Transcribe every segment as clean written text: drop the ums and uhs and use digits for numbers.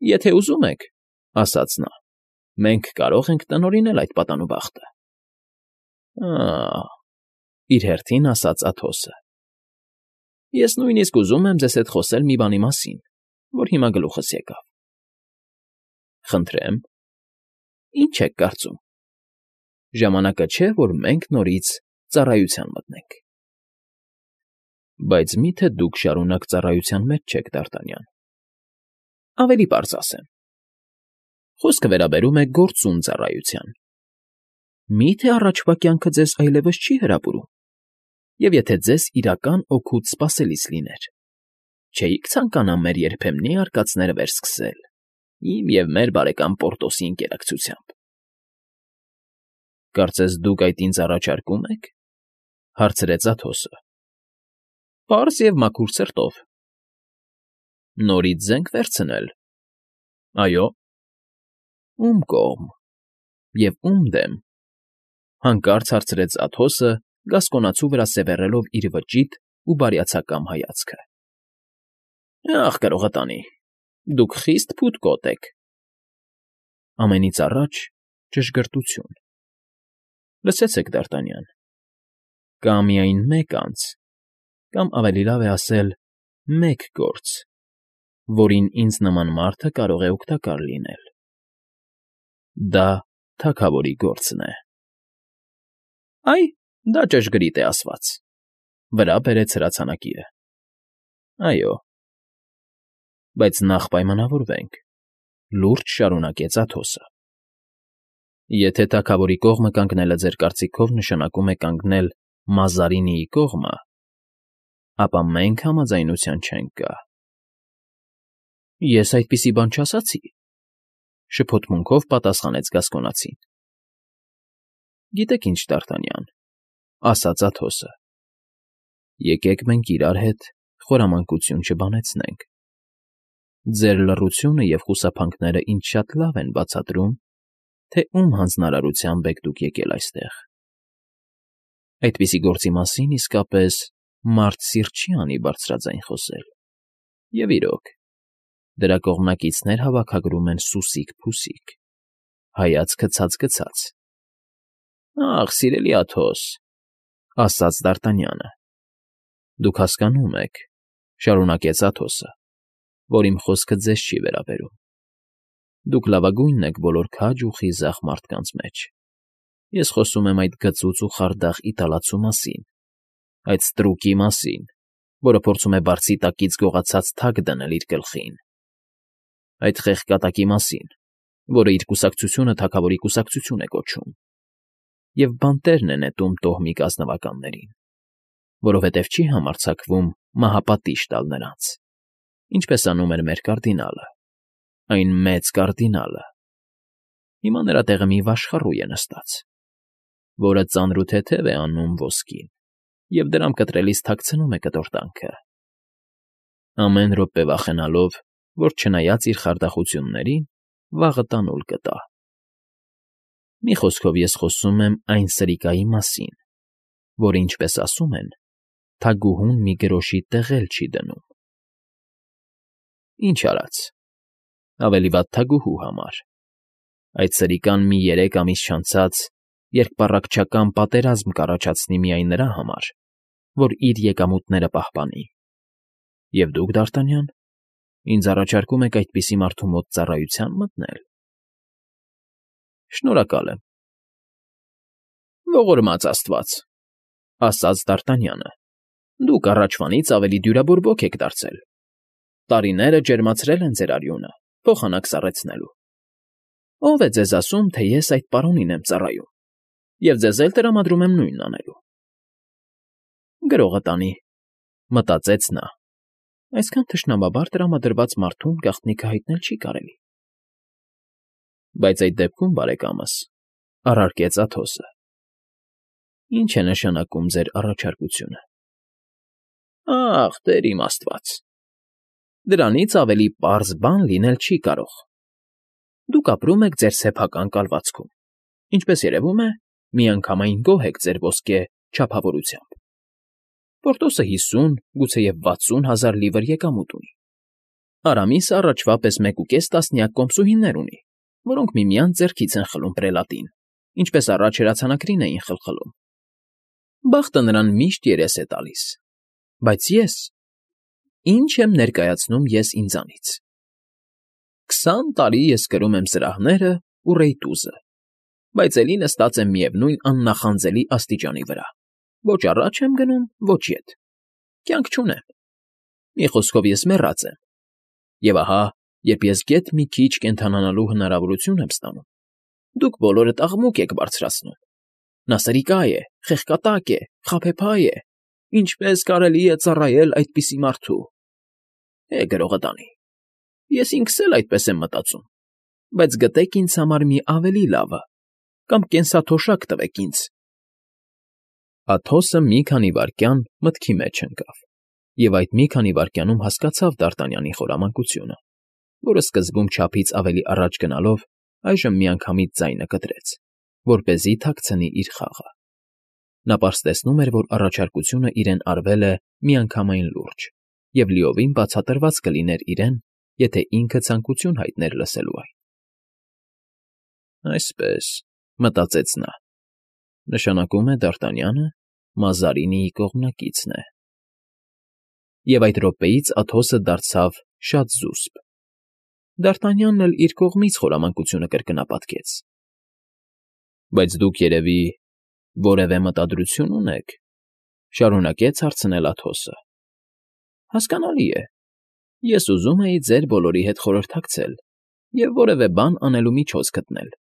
Եթե ուզում եք, ֊ ասաց նա, ֊ մենք կարող ենք տնօրինել այդ պատանուբախտը։ Ա՜, ֊ իր հերթին ասաց Աթոսը։ Ես նույնիսկ ուզում եմ ձեզ հետ խոսել մի բանի մասին, որ հիմա գլուխս եկավ։ Խնդրեմ։ Ինչ եք կարծում։ Ժամանակը չէ, որ մենք նորից ծառայության մտնենք։ Բայց մի՞թե դուք շարունակ ծառայության մեջ չեք, Դ'Արտանյան։ Ավելի պարզ ասեմ։ Խոսքը վերաբերում է գործուն ծառայության։ Մի՞թե առաջվա կյանքը ձեզ այլևս չի հրապուրում։ Եվ եթե ձեզ իրական օգուտ սպասելիս լիներ, չէիք ցանկանա մեր երբեմնի արկածները վերսկսել իմ և մեր բարեկամ Պորտոսի ընկերակցությամբ։ Կարծես դուք այդ ինձ առաջարկում եք, ֊ հարցրեց Աթոսը։ Պարզ և մաքուր սրտով։ Նորից զենք վերցնել։ Այո։ Ում կողմ և ում դեմ, ֊ հանկարծ հարցրեց Աթոսը, գասկոնացու վրա սևեռելով իր վճիտ ու բարյացակամ հայացքը։ Ախ, կարողը տանի, դուք խիստ փութկոտ եք։ Ամենից առաջ ճշգրտություն։ Լսեցեք, Դ'Արտանյան, կա միայն մեկ անձ, կամ ավելի լավ է ասել, մեկ գործ, որին ինձ նման մարդը կարող է օգտակար լինել։ Դա թագավորի գործն է։ Այ, դա ճշգրիտ է ասված, ֊ վրա բերեց հրացանակիրը։ Այո։ Բայց նախ պայմանավորվենք, ֊ լուրջ շարունակեց Աթոսը։ Եթե թագավորի կողմը կանգնելը ձեր կարծիքով նշանակում է կանգնել Մազարինիի կողմը, ապա մենք համաձայնության չենք գա։ Ես այդպիսի բան չասացի, ֊ շփոթմունքով պատասխանեց գասկոնացին։ Գիտեք ինչ, Դ'Արտանյան, ֊ ասաց Աթոսը, եկեք մենք իրար հետ խորամանկություն չբանեցնենք։ Ձեր լռությունը և խուսափանքները ինձ շատ լավ են բացատրում, թե ում հանձնարարությամբ եք դուք եկել այստեղ։ Այդպիսի գործի մասին իսկապես մարդ սիրտ չի անի բարձրաձայն խոսել։ Եվ իրոք, դրա կողմնակիցներ հավաքագրում են սուսիկ֊փուսիկ, հայացքը ցած֊գցած։ Ախ, սիրելի Աթոս, ֊ ասաց Դ'Արտանյանը, ֊ դուք հասկանում եք, ֊ շարունակեց Աթոսը, ֊ որ իմ խոսքը ձեզ չի վերաբերում։ Դուք լավագույնն եք բոլոր քաջ ու խիզախ մարդկանց մեջ։ Ես խոսում եմ այդ գծուծ ու խարդախ իտալացու մասին, այդ ստրուկի մասին, որը փորձում է բարձի տակից գողացած թագ դնել իր գլխին, այդ խեղկատակի մասին, որը իր կուսակցությունը թագավորի կուսակցություն է կոչում, և բանտերն է նետում տոհմիկ ազնվականներին, որովհետև չի համարձակվում մահապատիժ տալ նրանց, ինչպես անում էր մեր կարդինալը, այն մեծ կարդինալը։ Հիմա նրա տեղը մի վաշխառու է նստած, որը ծանր ու թեթև է անում ոսկին և դրամ կտրելիս թաքցնում է կտորտանքը, ամեն րոպե վախենալով, որ չնայած իր խարդախություններին, վաղը տանուլ կտա։ Մի խոսքով ես խոսում եմ այն սրիկայի մասին, որը, ինչպես ասում են, թագուհուն մի գրոշի տեղ էլ չի դնում։ Ինչ արած, ավելի վատ թագուհու համար։ Այդ սրիկան մի 3 ամիս չանցած երկպառակտչական պատերազմ կառաջացնի միայն նրա համար, որ իր եկամուտները պահպանի։ Եվ դուք, Դ'Արտանյան, ինձ առաջարկում եք այդպիսի մարդու մոտ ծառայության մտնել։ Շնորհակալ եմ։ Ողորմած աստված, ֊ ասաց Դ'Արտանյանը, ֊ դուք առաջվանից ավելի դյուրաբորբոք եք դարձել։ Տարիները ջերմացրել են ձեր արյունը, փոխանակ սառեցնելու։ Ո՞վ է ձեզ ասում, թե ես այդ պարոնին եմ ծառայում, և ձեզ էլ տրամադրում եմ նույնն անելու։ Գրողը տանի, ֊ մտածեց նա, ֊ այսքան թշնամաբար տրամադրված մարդուն գաղտնիքը հայտնել չի կարելի։ Բայց այդ դեպքում, բարեկամս, ֊ առարկեց Աթոսը, ֊ ինչ է նշանակում ձեր առաջարկությունը։ Ախ, Տեր իմ աստված, դրանից ավելի պարզ բան լինել չի կարող։ Դուք ապրում եք ձեր սեփական կալվածքում, ինչպես երևում է, միանգամայն գոհ եք ձեր ոսկե չափավորությամբ։ Պորտոսը 50, գուցեև 60 հազար լիվր եկամուտ ունի։ Արամիսը առաջվա պես 1.5 տասնյակ կոմսուհիներ ունի, որոնք միմյանց ձեռքից են խլում պրելատին, ինչպես առաջ հրացանակրին էին խլխլում։ Բախտը նրան միշտ երես է տալիս, բայց ես… Ինչ եմ ներկայացնում ես ինձանից։ 20 տարի ես կրում եմ սրահները ու ռեյտուզը, բայց էլի նստած եմ միևնույն աննախանձելի աստիճանի վրա, ոչ առաջ եմ գնում, ոչ ետ, կյանք չունեմ, մի խոսքով ես մեռած եմ, և ահա, երբ ես գեթ մի քիչ կենդանանալու հնարավորություն եմ ստանում, դուք բոլորդ աղմուկ եք բարձրացնում. նա սրիկա է, խեղկատակ է, խաբեբայ է, ինչպես կարելի է ծառայել այդպիսի մարդու… գրողը տանի, ես ինքս էլ այդպես եմ մտածում, բայց գտեք ինձ համար մի ավելի լավը, կամ կենսաթոշակ տվեք ինձ… Աթոսը մի քանի վայրկյան մտքի մեջ ընկավ, և այդ մի քանի վայրկյանում հասկացավ Դ'Արտանյանի խորամանկությունը, որը սկզբում չափից ավելի առաջ գնալով այժմ միանգամից ձայնը կտրեց, որպեսզի թաքցնի իր խաղը։ Նա պարզ տեսնում էր, որ առաջարկությունը իրեն արվել է միանգամայն լուրջ և լիովին բացատրված կլիներ իրեն, եթե ինքը ցանկություն հայտներ լսելու այն։ «Այսպես,֊ մտածեց նա,֊ նշանակում է Դ'Արտանյանը Մազարինիի կողմնակիցն է»։ Եվ այդ րոպեից Աթոսը դարձավ շատ զուսպ։ Դ'Արտանյանն էլ իր կողմից խորամանկությունը կրկնապատկեց։ «Բայց դուք, երևի, որևէ մտադրություն ունեք,֊ շարունակեց հարցնել Աթոսը։ Հասկանալի է, ես ուզում էի ձեր բոլորի հետ խորհրդակցել և որևէ բան անելու միջոց գտնել,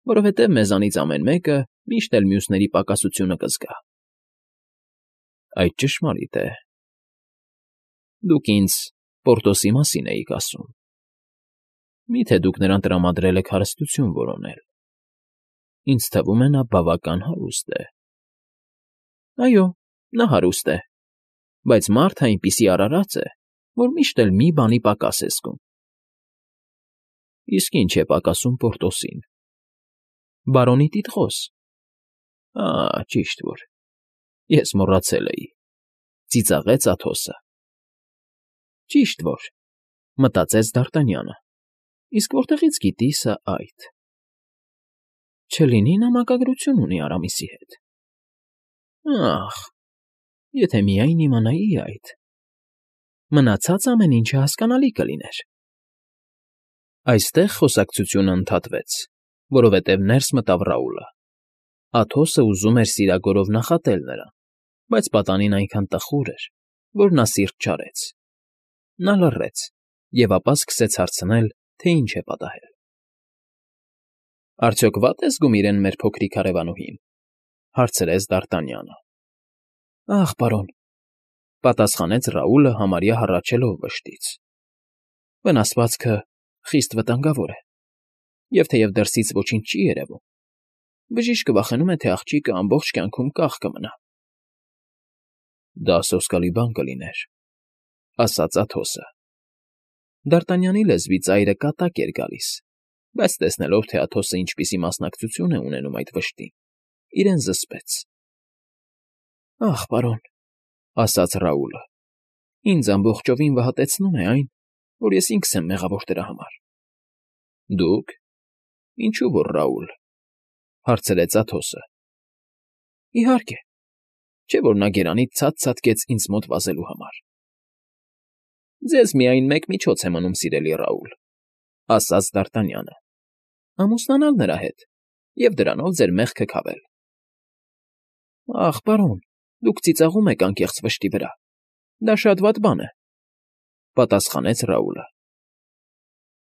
որովհետև մեզանից ամեն մեկը միշտ էլ մյուսների պակասությունը կզգա։ Այդ ճշմարիտ է։ Դուք ինձ Պորտոսի մասին էիք ասում. միթե դուք նրան տրամադրել եք հարստություն որոնել… Ինձ թվում է, նա բավական հարուստ է։ Այո, նա հարուստ է, բայց մարդը այնպիսի արարած է, որ միշտ էլ մի բանի պակաս է զգում։ Իսկ ի՞նչ է պակասում Պորտոսին։ Բարոնի տիտղոս… Ճիշտ որ… Ես մոռացել էի,֊ ծիծաղեց Աթոսը։ Ճիշտ որ…֊ մտածեց Դ'Արտանյանը,֊ իսկ որտեղից գիտի սա այդ… Չլինի նա մակագրություն ունի Արամիսի հետ… Ախ, եթե միայն իմանայի այդ… Մնացած ամեն ինչը հասկանալի կլիներ… Այստեղ խոսակցությունը ընդհատվեց, որովհետև ներս մտավ Ռաուլը։ Աթոսը ուզում էր սիրագորով նախատել նրան, բայց պատանին այնքան տխուր էր, որ նա սիրտ չարեց։ Նա լռեց և ապա սկսեց հարցնել, թե ինչ է պատահել։ Արդյոք վատ է զգում իրեն մեր փոքրիկ հարևանուհին,֊ հարցրեց Դ'Արտանյանը։ Ախ, պարոն,֊ պատասխանեց Ռաուլը համարյա հառաչելով վշտից,֊ վնասվածքը խիստ վտանգավոր է, և թեև դրսից ոչինչ չի երևում, բժիշկը վախենում է, թե աղջիկը ամբողջ կյանքում կախ կմնա։ Դա սոսկալի բան կլիներ,֊ ասաց Աթոսը։ Դ'Արտանյանի լեզվի ծայրը կատակ էր գալիս, բայց տեսնելով, թե Աթոսը ինչպիսի մասնակցություն է ունենում այդ վշտին, իրեն զսպեց։ Ախ, պարոն,֊ ասաց Ռաուլը,֊ ինձ ամբողջովին վհատեցնում է այն, որ ես ինքս եմ մեղավոր դրա համար։ Դուք… Ինչու որ, Ռաուլ,֊ հարցրեց Աթոսը։ Իհարկե, չէ՞ որ նա գերանից ցած ցատկեց ինձ մոտ վազելու համար։ Ձեզ միայն մեկ միջոց է մնում, սիրելի Ռաուլ,֊ ասաց Դ'Արտանյանը,֊ ամուսնանալ նրա հետ և դրանով ձեր մեղքը քավել։ Ախ, պարոն, դուք ծիծաղում եք անկեղծ վշտի վրա, դա շատ վատ բան է,֊ պատասխանեց Ռաուլը։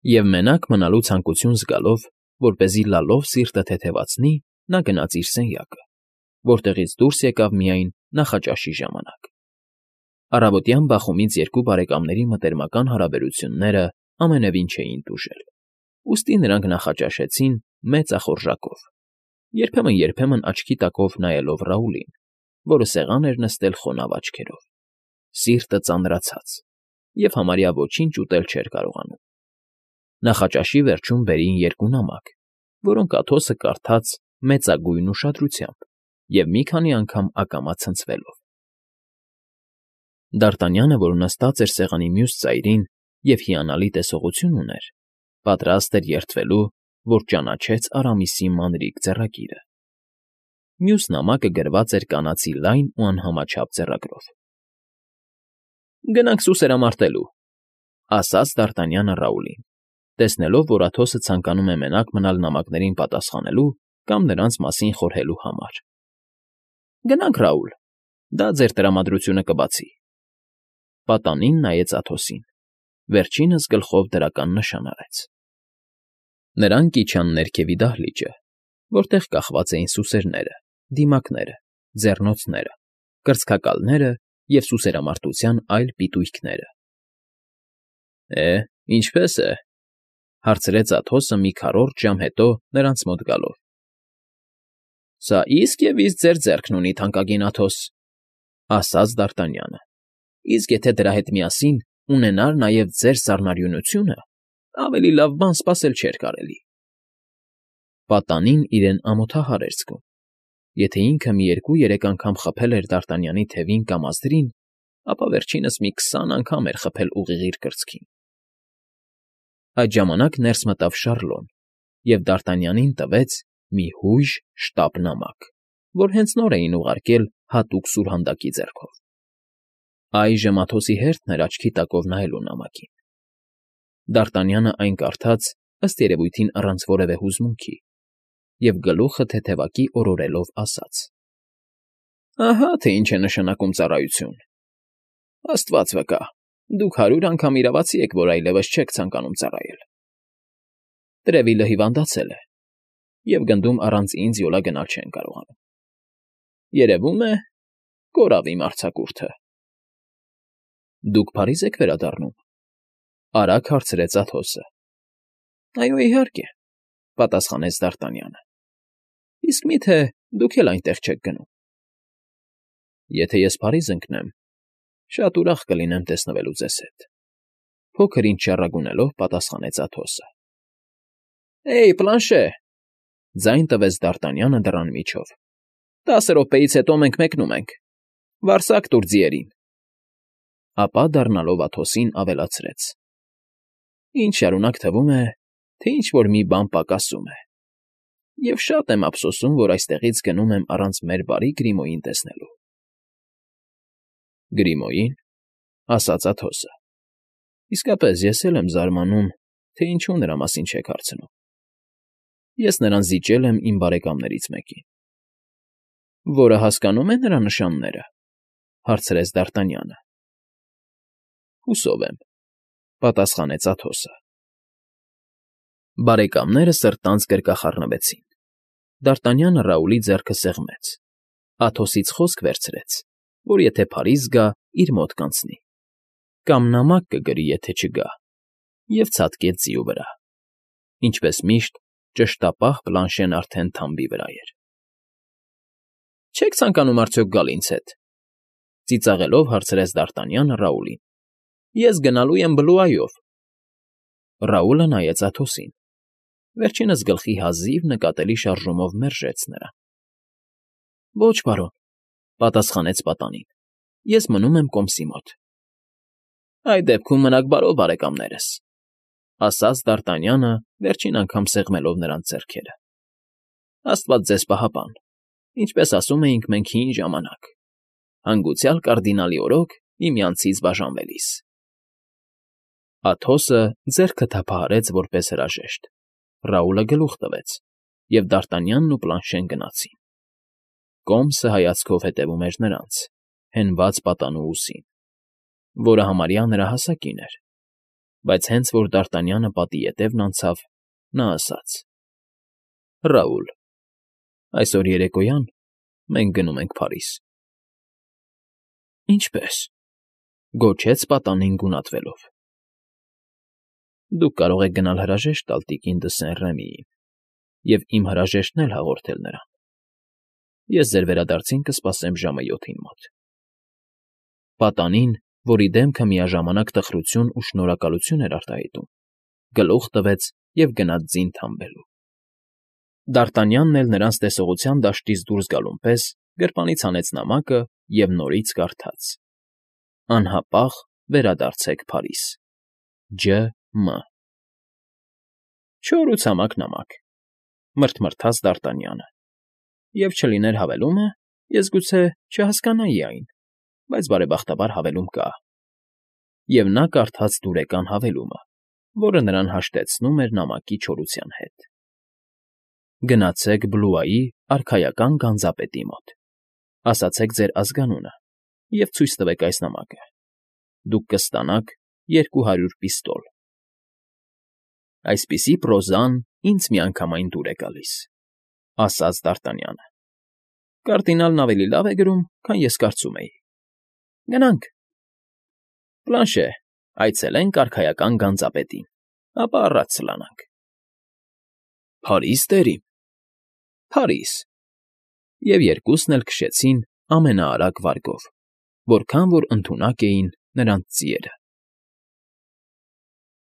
Եվ մենակ մնալու ցանկություն զգալով, որպեսզի լալով սիրտը թեթևացնի, նա գնաց իր սենյակը, որտեղից դուրս եկավ միայն նախաճաշի ժամանակ։ Առավոտյան բախումից երկու բարեկամների մտերմական հարաբերությունները ամենևին չէին տուժել, ուստի նրանք նախաճաշեցին մեծ ախորժակով, երբեմն աչքի տակով նայելով Ռաուլին, որը սեղան էր նստել խոնավ աչքերով, սիրտը ծանրացած և համարյա ոչինչ ուտել չէր կարողանում։ Նախաճաշի վերջում բերին երկու նամակ, որոնք Աթոսը կարդաց մեծագույն ուշադրությամբ և մի քանի անգամ ակամա ցնցվելով։ Դ'Արտանյանը, որ նստած էր սեղանի մյուս ծայրին, և հիանալի տեսողություն ուներ, պատրաստ էր երդվելու, որ ճանաչեց Արամիսի մանրիկ ձեռագիրը։ Մյուս նամակը գրված էր կանացի լայն ու անհամաչափ ձեռագրով։ «Գնանք սուսերամարտելու», ֊ ասաց Դարտանյանը Ռաուլին, տեսնելով, որ Աթոսը ցանկանում է մենակ մնալ նամակներին պատասխանելու կամ նրանց մասին խորհելու համար։ «Գնանք, Ռաուլ, դա ձեր տրամադրությունը կբացի»։ Պատանին նայեց Աթոսին, վերջինս գլխով դրական նշան արեց։ Նրանք իջան ներքևի դահլիճը, որտեղ կախված էին սուսերները, դիմակները, ձեռնոցները, կրծքակալները և սուսերամարտության այլ պիտույքները։ Ինչպե՞ս է,֊ հարցրեց Աթոսը մի քառորդ ժամ հետո նրանց մոտ գալով։ «Սա իսկ և իսկ ձեր ձեռքն ունի, թանկագին Աթոս,֊ ասաց Դարտանյանը,֊ իսկ եթե դրա հետ միասին ունենար նաև ձեր սառնարյունությունը, ավելի լավ բան սպասել չէր կարելի»։ Պատանին իրեն ամոթահար էր զգում։ Եթե ինքը մի 2-3 անգամ խփել էր Դարտանյանի թևին կամ ազդրին, ապա վերջինս մի 20 անգամ էր խփել ուղիղ իր կրծքին։ Այդ ժամանակ ներս մտավ Շառլոն և Դարտանյանին տվեց մի հույժ շտապ նամակ, որ հենց նոր էին ուղարկել հատուկ սուրհանդակի ձեռքով։ Այժմ Աթոսի հերթն էր աչքի տակով նայելու նամակին։ Դարտանյանը այն կարդաց, ըստ երևույթին առանց որևէ հուզմունքի, և գլուխը թեթևակի օրորելով ասաց. «Ահա թե ինչ է նշանակում ծառայություն… Աստված վկա, դուք 100 անգամ իրավացի եք, որ այլևս չեք ցանկանում ծառայել… Տրևիլը հիվանդացել է, և գնդում առանց ինձ յոլա գնալ չեն կարողանում… Երևում է, կորավ իմ արձակուրդը»։ «Դուք Փարիզ եք վերադառնում,֊ արագ հարցրեց Աթոսը։ «Այո, իհարկե,֊ պատասխանեց Դարտանյանը։ Իսկ մի՞թե դուք էլ այնտեղ չեք գնում»։ «Եթե ես Փարիզ ընկնեմ, շատ ուրախ կլինեմ տեսնվելու ձեզ հետ,֊ փոքր֊ինչ չառագունելով պատասխանեց Աթոսը։ Պլանշե,֊ ձայն տվեց Դարտանյանը դռան միջով,֊ 10 րոպեից հետո մենք մեկնում ենք… Վարսակ տուր ձիերին…» Ապա դառնալով Աթոսին ավելացրեց. «Ինձ շարունակ թվում է, թե ինչ֊որ մի բան պակասում է, և շատ եմ ափսոսում, որ այստեղից գնում եմ առանց մեր բարի Գրիմոյին տեսնելու»։ «Գրիմոյի՞ն,֊ ասաց Աթոսը։ Իսկապես ես էլ եմ զարմանում, թե ինչու նրա մասին չեք հարցնում։ Ես նրան զիջել եմ իմ բարեկամներից մեկին։ «Որը հասկանում է նրա նշանները,֊ հարցրեց Դարտանյանը։ «Հուսով եմ,֊ պատասխանեց Աթոսը։ Բարեկամները սրտանց գրկախառնվեցին։ Դարտանյանը Ռաուլի ձեռքը սեղմեց, Աթոսից խոսք վերցրեց, որ եթե Փարիզ գա, իր մոտ կանցնի, կամ նամակ կգրի, եթե չգա, և ցատկեց ձիու վրա։ Ինչպես միշտ, ճշտապահ Պլանշեն արդեն թամբի վրա էր։ «Չե՞ք ցանկանում արդյոք գալ ինձ հետ,֊ ծիծաղելով հարցրեց Դարտանյանը Ռաուլին։ Ես գնալու եմ Բլուայով»։ Ռաուլը նայեց Աթոսին։ Վերջինս գլխի հազիվ նկատելի շարժումով մերժեց նրան։ «Ոչ, պարոն,֊ պատասխանեց պատանին,֊ ես մնում եմ կոմսի մոտ»։ «Այդ դեպքում մնաք բարով, բարեկամներս,֊ ասաց Դարտանյանը, վերջին անգամ սեղմելով նրանց ձեռքերը։ «Աստված ձեզ պահապան, ինչպես ասում էինք մենք հին ժամանակ. հանգուցյալ կարդինալի օրոք միմյանցից բաժանվելիս»։ Աթոսը ձեռքը թափահարեց որպես հրաժեշտ, Ռաուլը գլուխ տվեց, և Դարտանյանն ու Պլանշեն գնացին։ Կոմսը հայացքով հետևում էր նրանց, հենված պատանու ուսին, որը համարյա նրա հասակին էր, բայց հենց որ Դարտանյանը պատի ետևն անցավ, նա ասաց. «Ռաուլ, այսօր երեկոյան մենք գնում ենք Փարիզ»։ «Ինչպե՞ս,֊ գոչեց պատանին գունատվելով։ «Դուք կարող եք գնալ հրաժեշտ տալ տիկին դը Սեն֊Ռեմիին և իմ հրաժեշտն էլ հաղորդել նրան։ Ես ձեր վերադարձին կսպասեմ ժամը 7-ին մոտ»։ Պատանին, որի դեմքը միաժամանակ տխրություն ու շնորհակալություն էր արտահայտում, գլուխ տվեց և գնաց ձին թամբելու։ Դարտանյանն էլ նրանց տեսողության դաշտից դուրս գալուն պես գրպանից հանեց նամակը և նորից կարդաց. «Անհապաղ վերադարձեք Փարիզ»։ Ջ.Մ. Չոր ու ցամաք նամակ, մռթմռթաց Դարտանյանը, և չլիներ հավելումը, ես գուցե չհասկանայի այն, բայց բարեբախտաբար հավելում կա, և նա կարդաց դուրեկան հավելումը, որը նրան հաշտեցնում էր նամակի չորության հետ. Գնացեք Բլուայի արքայական գանձապետի մոտ, ասացեք ձեր ազգանունը և ցույց տվեք այս նամակը, դուք կստանաք 200 պիստոլ… Այսպիսի պրոզան ինձ միանգամայն դուր է գալիս, ֊ ասաց Դարտանյանը։ Կардինալն ավելի լավ է գրում, քան ես կարծում էի… Գնանք… Պլանշե, այցելենք արքայական գանձապետին, ապա առաջ սլանանք… Փարի՞ս, տերին… Փարիզ… Եվ երկուսն էլ քշեցին ամենաարագ վարգով, որքան որ ընդունակ էին նրանց ձիերը։